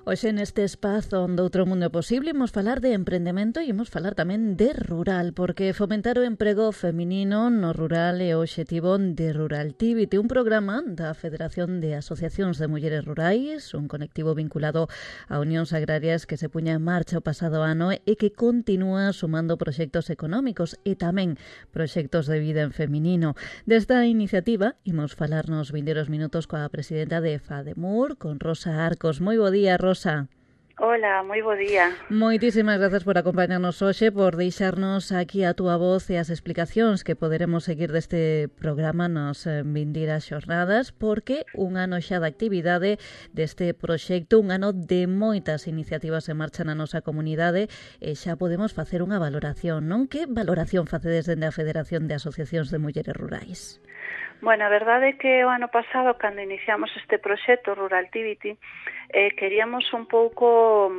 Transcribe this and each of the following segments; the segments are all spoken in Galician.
Hoxe neste espazo onde outro mundo é posible imos falar de emprendemento e imos falar tamén de rural, porque fomentar o emprego feminino no rural é o obxectivo de Ruraltivity, un programa da Federación de Asociacións de Mulleres Rurais, un colectivo vinculado a unións agrarias que se puña en marcha o pasado ano e que continúa sumando proxectos económicos e tamén proxectos de vida en feminino. Desta iniciativa imos falar nos vindeiros minutos coa presidenta de FADEMUR, con Rosa Arcos. Moi bo día, Rosa. Hola, moi bo día. Moitísimas grazas por acompañarnos hoxe, por deixarnos aquí a túa voz e as explicacións que poderemos seguir deste programa nas vindeiras xornadas, porque un ano xa de actividade deste proxecto, un ano de moitas iniciativas en marcha na nosa comunidade, e xa podemos facer unha valoración, non? Que valoración facedes dende a Federación de Asociacións de Mulleres Rurais? Bueno, a verdade é que o ano pasado, cando iniciamos este proxecto Ruraltivity, queríamos un pouco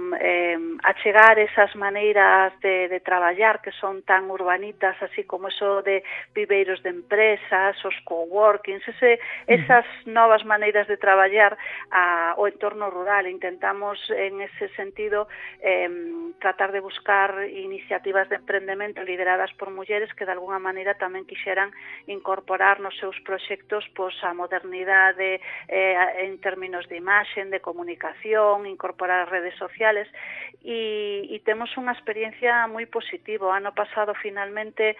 achegar esas maneiras de traballar que son tan urbanitas, así como eso de viveiros de empresas, os coworkings, esas novas maneiras de traballar ao entorno rural. Intentamos, en ese sentido, tratar de buscar iniciativas de emprendemento lideradas por mulleres que de alguna maneira tamén quixeran incorporar nos seus proxectos a modernidade en términos de imaxen, de comunicación, incorporar redes sociales e temos unha experiencia moi positiva. O ano pasado finalmente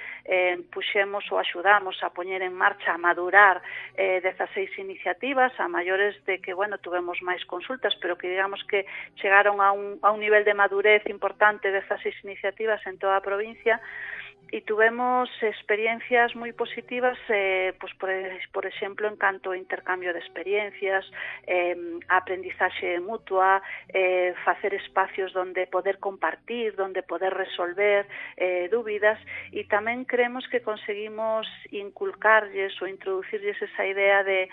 puxemos ou axudamos a poñer en marcha, a madurar 16 iniciativas, a maiores de que, bueno, tuvemos máis consultas, pero que digamos que chegaron a un nivel de madurez importante 16 iniciativas en toda a provincia. E tuvemos experiencias moi positivas, por exemplo, en canto ao intercambio de experiencias, a aprendizaxe mutua, facer espacios donde poder compartir, donde poder resolver dúbidas, e tamén creemos que conseguimos inculcarlles ou introducirlles esa idea de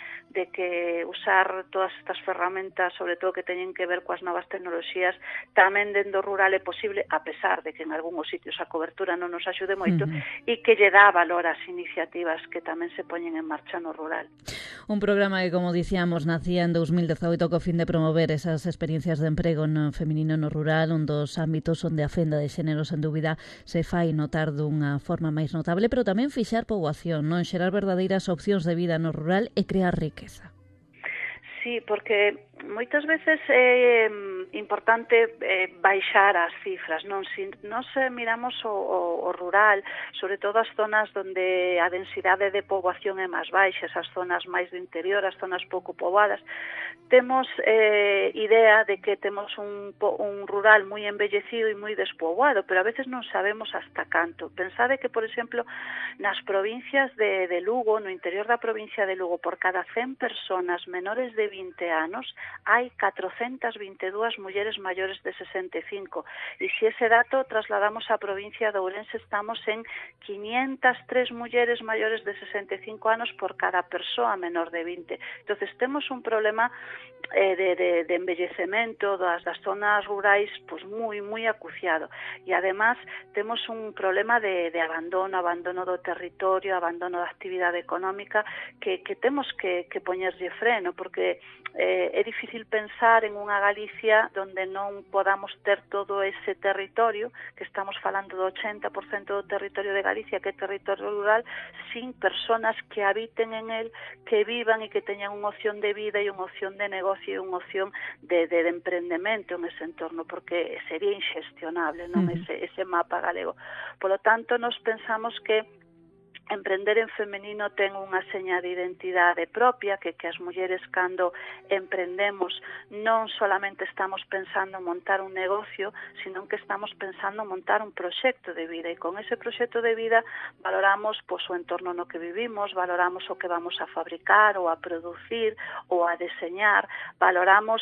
que usar todas estas ferramentas, sobre todo que teñen que ver coas novas tecnoloxías, tamén dentro rural é posible, a pesar de que en algúns sitios a cobertura non nos axude moito, e que lle dá valor ás iniciativas que tamén se poñen en marcha no rural. Un programa que, como dicíamos, nacía en 2018 co fin de promover esas experiencias de emprego no feminino no rural, un dos ámbitos onde a fenda de xénero, sen dúbida, se fai notar dunha forma máis notable, pero tamén fixar poboación, non xerar verdadeiras opcións de vida no rural e crear riqueza. Sí, porque moitas veces é importante baixar as cifras, non? Se nos miramos o rural, sobre todo as zonas onde a densidade de poboación é máis baixa, as zonas máis do interior, as zonas pouco poboadas, temos idea de que temos un rural moi embellecido e moi despoboado, pero a veces non sabemos hasta canto. Pensade que, por exemplo, nas provincias de Lugo, no interior da provincia de Lugo, por cada 100 personas menores de 20 anos, hai 422 mulleres maiores de 65. E se ese dato trasladamos á provincia de Ourense, estamos en 503 mulleres maiores de 65 anos por cada persoa menor de 20. Entonces, temos un problema de embellecemento das zonas rurais moi acuciado. E, además, temos un problema de abandono do territorio, abandono da actividade económica que temos que poñerlle freno, porque é difícil pensar en unha Galicia donde non podamos ter todo ese territorio, que estamos falando do 80% do territorio de Galicia, que é territorio rural, sin personas que habiten en él, que vivan e que teñan unha opción de vida e unha opción de negocio e unha opción de emprendemento en ese entorno, porque sería inxestionable, non? Ese mapa galego. Por lo tanto, nos pensamos que emprender en femenino ten unha seña de identidade propia, que as mulleres, cando emprendemos, non solamente estamos pensando en montar un negocio, sino que estamos pensando en montar un proxecto de vida, e con ese proxecto de vida valoramos o entorno no que vivimos, valoramos o que vamos a fabricar ou a producir ou a deseñar, valoramos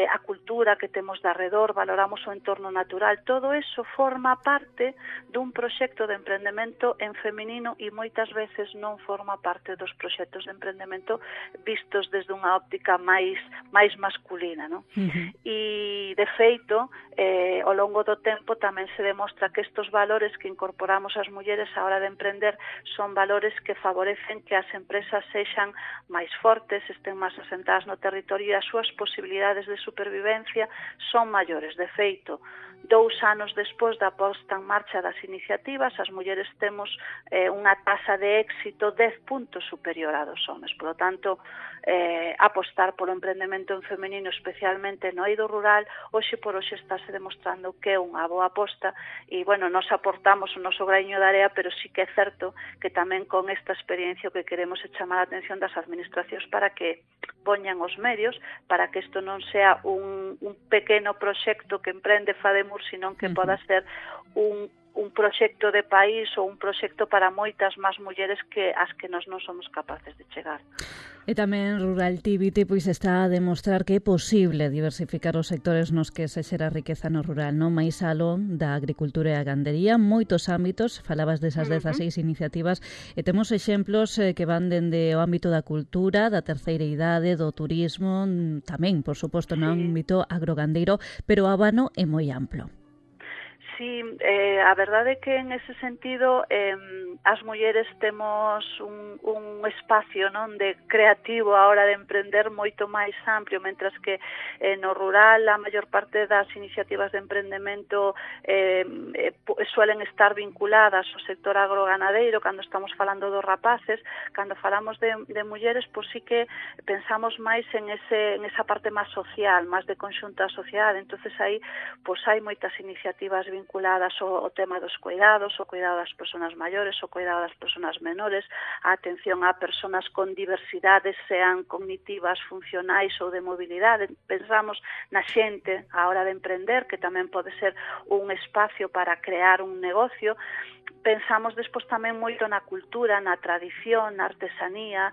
a cultura que temos de arredor, valoramos o entorno natural. Todo eso forma parte dun proxecto de emprendemento en feminino e moitas veces non forma parte dos proxectos de emprendemento vistos desde unha óptica máis masculina, non? E, de feito, ao longo do tempo tamén se demostra que estes valores que incorporamos as mulleres á hora de emprender son valores que favorecen que as empresas sexan máis fortes, estén máis asentadas no territorio e as súas posibilidades de supervivencia son maiores. De feito, 2 anos despois da posta en marcha das iniciativas, as mulleres temos unha tasa de éxito 10 puntos superior a dos homes. Por lo tanto, apostar polo emprendemento en feminino, especialmente no eido rural, hoxe por hoxe estáse demostrando que é unha boa aposta e, bueno, nos aportamos o noso graño de area, pero sí que é certo que tamén con esta experiencia o que queremos é chamar a atención das administracións para que poñan os medios para que isto non sea un pequeno proxecto que emprende Fademur, sino que poda ser un proxecto de país ou un proxecto para moitas máis mulleres que as que nós non somos capaces de chegar. E tamén Ruraltivity pois está a demostrar que é posible diversificar os sectores nos que se xera riqueza no rural, non máis aló da agricultura e a gandería, moitos ámbitos, falabas desas 16 iniciativas, e temos exemplos que van dende o ámbito da cultura, da terceira idade, do turismo, tamén, por suposto, no ámbito agrogandeiro, pero o abano é moi amplo. Sí, a verdade é que en ese sentido as mulleres temos un espacio, non, de creativo a hora de emprender moito máis amplio, mentras que no rural a maior parte das iniciativas de emprendemento suelen estar vinculadas ao sector agroganadeiro. Cando estamos falando dos rapaces, cando falamos de mulleres, pois sí que pensamos máis en esa parte máis social, máis de conxunta social. Entonces aí pois hai moitas iniciativas vinculadas ao tema dos cuidados, o cuidado das persoas maiores, o cuidado das persoas menores, a atención a persoas con diversidades, sean cognitivas, funcionais ou de mobilidade. Pensamos na xente á hora de emprender, que tamén pode ser un espacio para crear un negocio. Pensamos despois tamén moito na cultura, na tradición, na artesanía,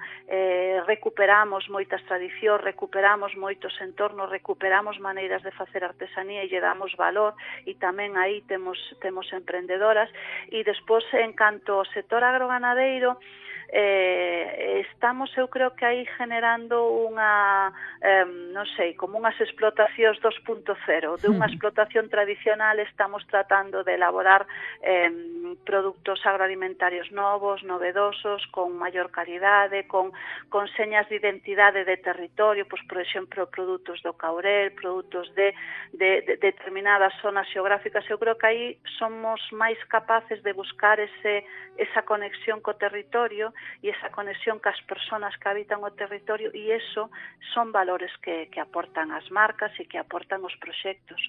recuperamos moitas tradicións, recuperamos moitos entornos, recuperamos maneiras de facer artesanía e lle damos valor, e tamén aí temos emprendedoras. E despois, en canto ao sector agroganadeiro, estamos, eu creo que aí generando unha, non sei, como unhas explotacións 2.0. De unha explotación tradicional estamos tratando de elaborar produtos agroalimentarios novos, novedosos, con maior calidade, con señas de identidade de territorio, pois, por exemplo, produtos do Caurel, produtos de determinadas zonas xeográficas. Eu creo que aí somos máis capaces de buscar esa conexión co territorio e esa conexión cas persoas que habitan o territorio, e eso son valores que aportan as marcas e que aportan os proxectos.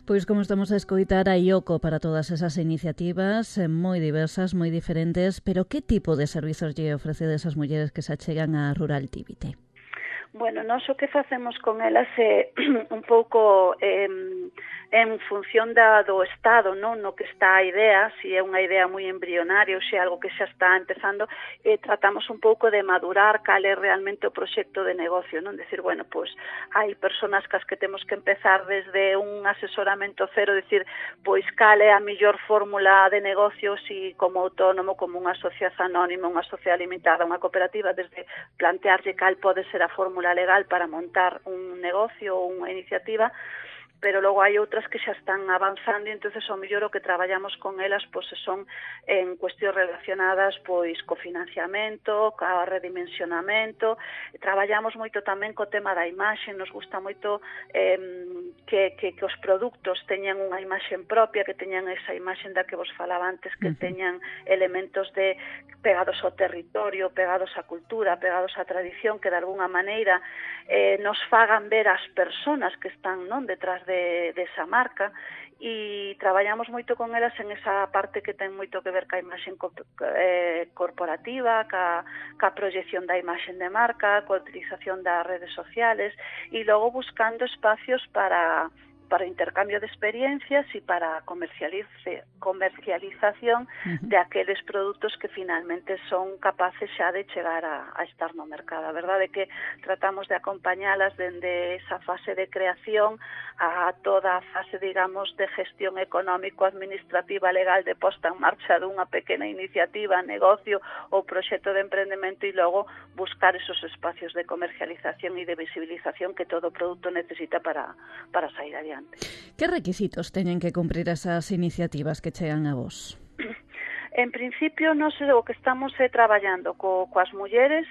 Pois como estamos a escoitar, hai oco para todas esas iniciativas, moi diversas, moi diferentes, pero que tipo de servizos lle ofrecedes as mulleres que se achegan a Ruraltivity? Bueno, nós o que facemos con elas é un pouco en función do estado, non, no que está a idea, se é unha idea moi embrionaria ou se é algo que xa está empezando, tratamos un pouco de madurar cal é realmente o proxecto de negocio, non? Decir, bueno, pois hai persoas cas que temos que empezar desde un asesoramento cero, decir, pois cal é a mellor fórmula de negocio, si como autónomo, como unha asociación anónima, unha sociedade limitada, unha cooperativa, desde plantearlle cal pode ser a fórmula legal para montar un negocio ou unha iniciativa, pero logo hai outras que xa están avanzando e entonces o mellor o que traballamos con elas pois son en cuestións relacionadas pois co financiamento, co redimensionamento. Traballamos moito tamén co tema da imaxe, nos gusta moito que os produtos teñan unha imaxe propia, que teñan esa imaxe da que vos falaba antes, que teñan elementos de pegados ao territorio, pegados á cultura, pegados á tradición, que de alguna maneira nos fagan ver as persoas que están, non, detrás de esa marca, e traballamos moito con elas en esa parte que ten moito que ver ca imaxe corporativa, ca proyección da imaxe de marca, coa utilización das redes sociales, e logo buscando espacios para para intercambio de experiencias e para comercialización de aqueles produtos que finalmente son capaces xa de chegar a estar no mercado. A verdade é que tratamos de acompañalas dende esa fase de creación a toda a fase, digamos, de gestión económico-administrativa legal de posta en marcha dunha pequena iniciativa, negocio ou proxecto de emprendemento e logo buscar esos espacios de comercialización e de visibilización que todo produto necesita para sair adiante. Que requisitos teñen que cumprir esas iniciativas que chegan a vos? En principio, nós o que estamos traballando coas mulleres,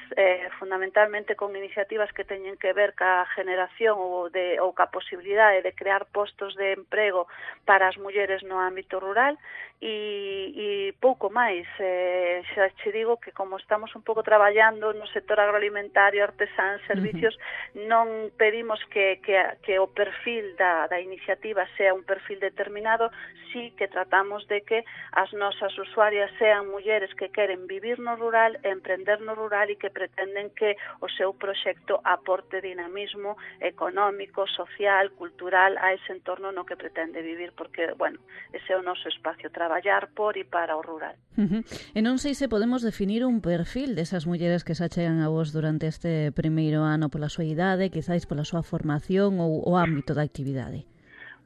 fundamentalmente con iniciativas que teñen que ver ca generación ou ca posibilidade de crear postos de emprego para as mulleres no ámbito rural e pouco máis. Xa che digo que como estamos un pouco traballando no sector agroalimentario, artesán, servicios, non pedimos que o perfil da iniciativa sea un perfil determinado, sí que tratamos de que as nosas usuarias sean mulleres que queren vivir no rural, emprender no rural e que pretenden que o seu proxecto aporte dinamismo económico, social, cultural a ese entorno no que pretende vivir, porque, bueno, ese é o noso espacio, traballar por e para o rural. E non sei se podemos definir un perfil desas mulleres que se achegan a vos durante este primeiro ano pola súa idade, quizáis pola súa formación ou o ámbito da actividade.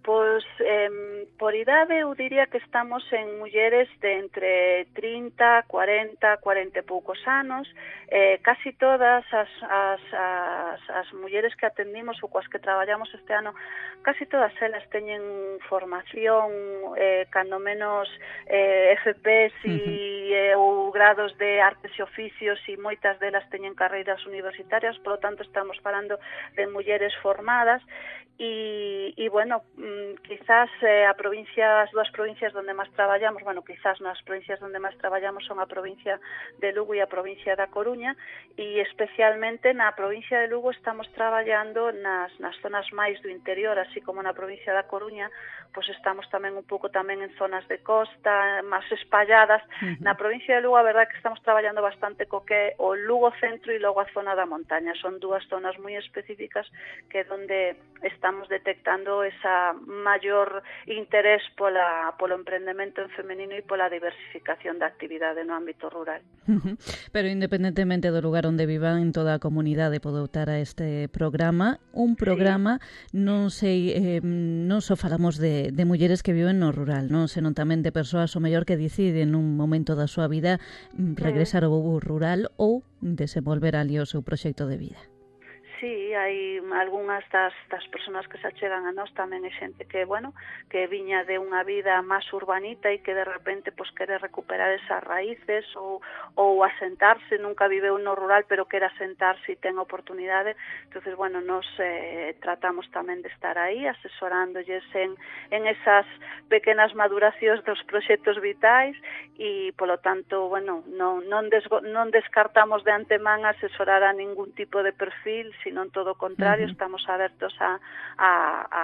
Pois, por idade, eu diría que estamos en mulleres de entre 30, 40, 40 e poucos anos. Casi todas as mulleres que atendimos ou coas que traballamos este ano, casi todas elas teñen formación, cando menos FPS ou grados de artes e oficios, e moitas delas teñen carreiras universitarias, por lo tanto estamos falando de mulleres formadas e bueno, quizás as dúas provincias onde máis traballamos, bueno, quizás nas provincias onde máis traballamos son a provincia de Lugo e a provincia da Coruña, e especialmente na provincia de Lugo estamos traballando nas zonas máis do interior, así como na provincia da Coruña, pois estamos tamén un pouco tamén en zonas de costa, máis espalladas. Na provincia de Lugo, a verdade que estamos traballando bastante co que é o Lugo centro e logo a zona da montaña. Son dúas zonas moi específicas que é onde estamos detectando esa maior interés polo emprendemento en femenino e pola diversificación da actividade no ámbito rural. Pero independentemente do lugar onde vivan, toda a comunidade pode optar a este programa. Un programa, non sei, non só falamos de mulleres que viven no rural, non, senón tamén de persoas o mellor que deciden nun momento da súa vida regresar ao rural ou desenvolver ali o seu proxecto de vida. Sí, hai algunhas das persoas que se achegan a nós tamén é xente que, bueno, que viña de unha vida máis urbanita e que de repente pues quere recuperar esas raíces ou asentarse, nunca viveu no rural pero quere asentarse e ten oportunidade. Entonces, bueno, nos tratamos tamén de estar aí asesorándolles en esas pequenas maduracións dos proxectos vitais e, polo tanto, bueno, non descartamos de antemán asesorar a ningún tipo de perfil, non todo o contrario, estamos abertos a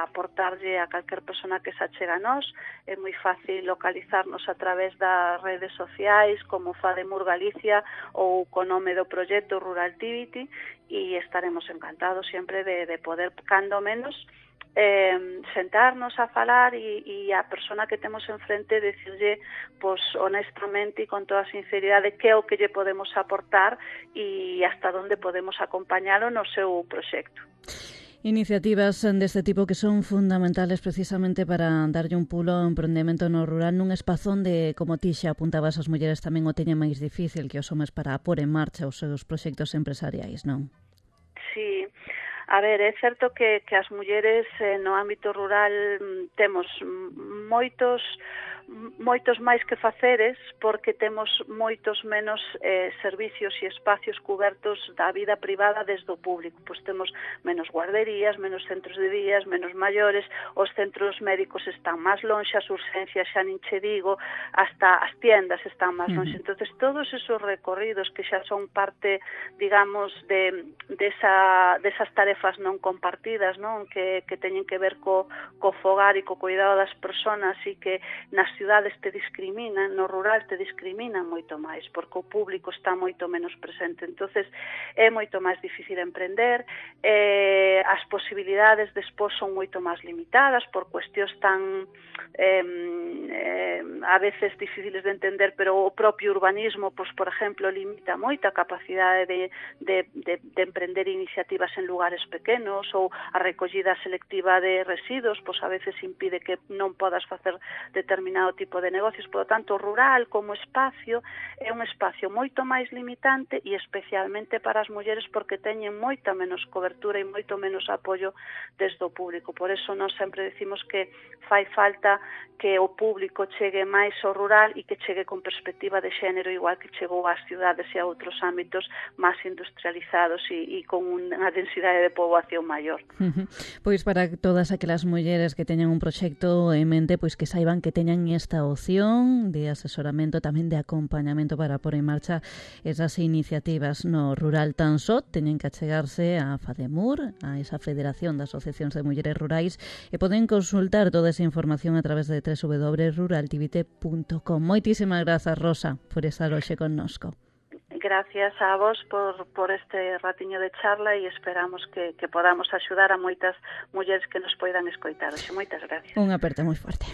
aportarlle a calquer persona que se achega a nós. É moi fácil localizarnos a través das redes sociais como Fademur Galicia ou co nome do proxecto Ruraltivity, e estaremos encantados sempre de poder, cando menos, sentarnos a falar e a persona que temos enfrente decirlle pues, honestamente e con toda sinceridade que é o que lle podemos aportar e hasta onde podemos acompañalo no seu proxecto. Iniciativas deste tipo que son fundamentales precisamente para darlle un pulo ao emprendemento no rural nun espazo onde, como ti xa apuntabas, as mulleres tamén o teñen máis difícil que os homes para pôr en marcha os seus proxectos empresariais, non? Sí. A ver, é certo que as mulleres no ámbito rural temos moitos máis que faceres porque temos moitos menos servicios e espacios cubertos da vida privada desde o público. Pois temos menos guarderías, menos centros de días, menos maiores, os centros médicos están máis lonxe, as urgencias xa nin che digo, hasta as tiendas están máis lonxe. Entonces, todos esos recorridos que xa son parte, digamos, desas tarefas non compartidas, non, que teñen que ver co fogar e co cuidado das persoas e que nas cidades te discriminan, no rural te discriminan moito máis, porque o público está moito menos presente. Entonces é moito máis difícil emprender, as posibilidades despois son moito máis limitadas por cuestións tan a veces difíciles de entender, pero o propio urbanismo, pois, por exemplo, limita moito a capacidade de emprender iniciativas en lugares pequenos, ou a recollida selectiva de residuos, pois a veces impide que non podas facer determinado tipo de negocios. Por lo tanto, o rural como espacio é un espacio moito máis limitante e especialmente para as mulleres porque teñen moita menos cobertura e moito menos apoio desde o público. Por eso nós sempre decimos que fai falta que o público chegue máis ao rural e que chegue con perspectiva de xénero, igual que chegou ás cidades e a outros ámbitos máis industrializados e con unha densidade de poboación maior. Pois para todas aquelas mulleres que teñan un proxecto en mente, pois que saiban que teñan esta opción de asesoramento, tamén de acompañamento para pôr en marcha esas iniciativas no rural tan só. Teñen que achegarse a FADEMUR, a esa Federación de Asociacións de Mulleres Rurais, e poden consultar toda esa información a través de www.ruraltivite.com. Moitísimas grazas, Rosa, por estar hoxe connosco. Gracias a vos por este ratiño de charla e esperamos que podamos axudar a moitas mulleres que nos poidan escoitar. Moitas gracias. Un aperto moi forte.